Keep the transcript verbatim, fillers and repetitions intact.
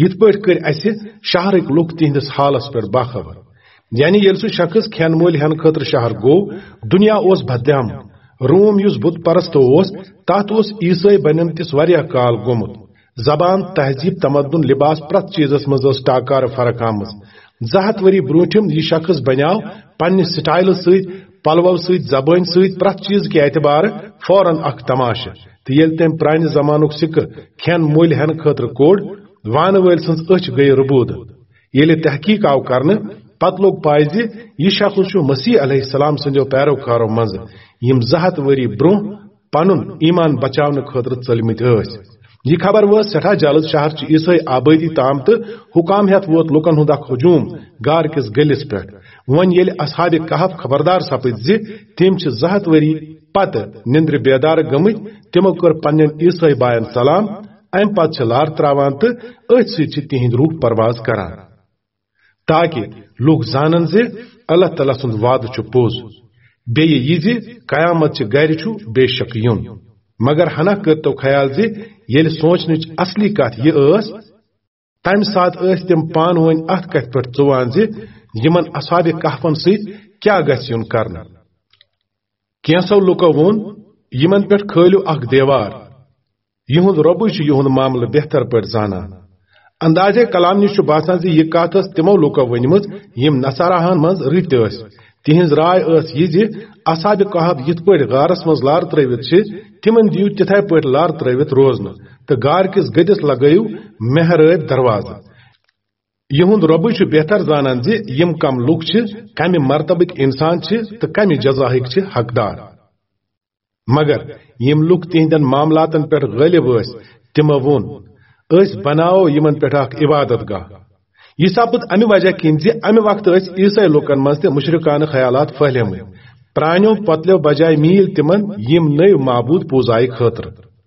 یِتھ پٲٹھۍ کٔرۍ اسہِ شہرٕکۍ لُکھ تِہنٛدِس حالس پٮ۪ٹھ باخبر۔ یعنی ییٚلہِ سُہ شخص کھٮ۪ن مٔلۍ ہٮ۪نہٕ خٲطرٕ شہر گوٚو، دُنیا اوس بدلیومُت۔ روم، یُس بُت پرست اوس، تتھ اوس عیسٲے بنیمتِس واریاہ کال گوٚمُت۔ زبان، تہذیب، تمدن، لباس، پرٛٮ۪تھ چیزس منٛز ٲس ٹاکارٕ فرق آمٕژ۔ زٕ ہتھ ؤری برونٛٹھِم یہِ شخص بنیاو پننہِ سٹایلہٕ سۭتۍ، پلوو سۭتۍ، زبٲنۍ سۭتۍ، پرٛٮ۪تھ چیز کہِ اعتبارٕ فوراً اکھ تماشہٕ۔ تہٕ ییٚلہِ تٔمۍ پرانہِ زمانُک سکہٕ کھٮ۪ن مٔلۍ ہٮ۪نہٕ خٲطرٕ کوٚڑ، وانہٕ وٲلۍ سٕنٛز أچھ گٔیہِ رُبوٗدٕ۔ ییٚلہِ تحقیق آو کرنہٕ، پتہٕ لوٚگ پاے زِ یہِ شخص چھُ مسیح علیہ السلام سٕنٛدیو پیروکارو منٛزٕ، یِم زٕ ہتھ ؤری برونٛہہ پنُن ایمان بچاونہٕ خٲطرٕ ژٔلمٕتۍ ٲسۍ۔ یہِ خبر وٲژ سٮ۪ٹھاہ جلد شہرچہِ عیسٲئی آبٲدی تام، تہٕ حکام ہٮ۪تھ ووت لوٗکن ہُنٛد اکھ ہجوم غار کِس گٔلِس پٮ۪ٹھ۔ وۄنۍ ییٚلہِ اصحاب کہف خبردار سپٕدۍ زِ تِم چھِ زٕ ہتھ ؤری پتہٕ نِندرِ بیدار گٔمٕتۍ، تِمو کٔر پننٮ۪ن عیسٲئی باین سلام، امہِ پتہٕ چھِ لار تراوان تہٕ أتھۍ سۭتۍ چھِ تِہنٛدۍ روح پرواز کران۔ تاکہ لوٗکھ زانن زِ اللہ تعالیٰ سُنٛد وعدٕ چھُ پوٚز، بیٚیہِ یہِ زِ قیامت چہِ گرِ چھُ بے شک یُن۔ مگر ہنا کٔرتو خیال زِ ییٚلہِ سونچنٕچ اصلی کتھ یہِ ٲس، تمہِ ساتہٕ ٲسۍ تِم پانہٕ ؤنۍ اتھ کتھِ پٮ۪ٹھ ژُوان زِ یِمن اصحاب کہفن سۭتۍ کیٛاہ گژھِ یُن کرنہٕ۔ کینٛژو لوٗکو ووٚن، یِمن پٮ۪ٹھ کھٲلِو اکھ دیوار۔ یِہُنٛد رۄبٕے چھُ یِہُنٛد معاملہٕ بہتر پٲٹھۍ زانان۔ اندازے کلام نِش چھُ باسان زِ یہِ کتھ ٲس تِمو لوٗکو ؤنمٕژ، یِم نصاراہن منٛز رٕتۍ ٲسۍ۔ تِہنٛز راے ٲس یہِ زِ اصحاب کہف یِتھ پٲٹھۍ غارس منٛز لار ترٲوِتھ چھِ، تِمن دِیِو تِتھے پٲٹھۍ لار ترٲوِتھ روزنہٕ، تہٕ غار کِس گٔدِس لگٲیِو محرٲبۍ دروازٕ۔ یِہُنٛد رۄبٕے چھُ بہتر زانان زِ یِم کم لوٗکھ چھِ، کمہِ مرتبٕکۍ انسان چھِ تہٕ کمہِ جزاہٕکۍ چھِ حقدار۔ مگر یِم لوٗکھ تِہنٛدٮ۪ن معاملاتن پٮ۪ٹھ غٲلب ٲسۍ، تِمو ووٚن، "أسۍ بناوو یِمن پٮ۪ٹھ اکھ عبادت گاہ۔" یہِ سپُد امہِ وجہ کِنۍ زِ امہِ وقتہٕ ٲسۍ عیسٲئی لوٗکن منٛز تہِ مشرکانہٕ خیالات پھٔہلیمٕتۍ۔ پرانیو پۄتلیو بجایہِ میٖلۍ تِمن یِم نٔوۍ معبوٗد پوٗزایہِ خٲطرٕ۔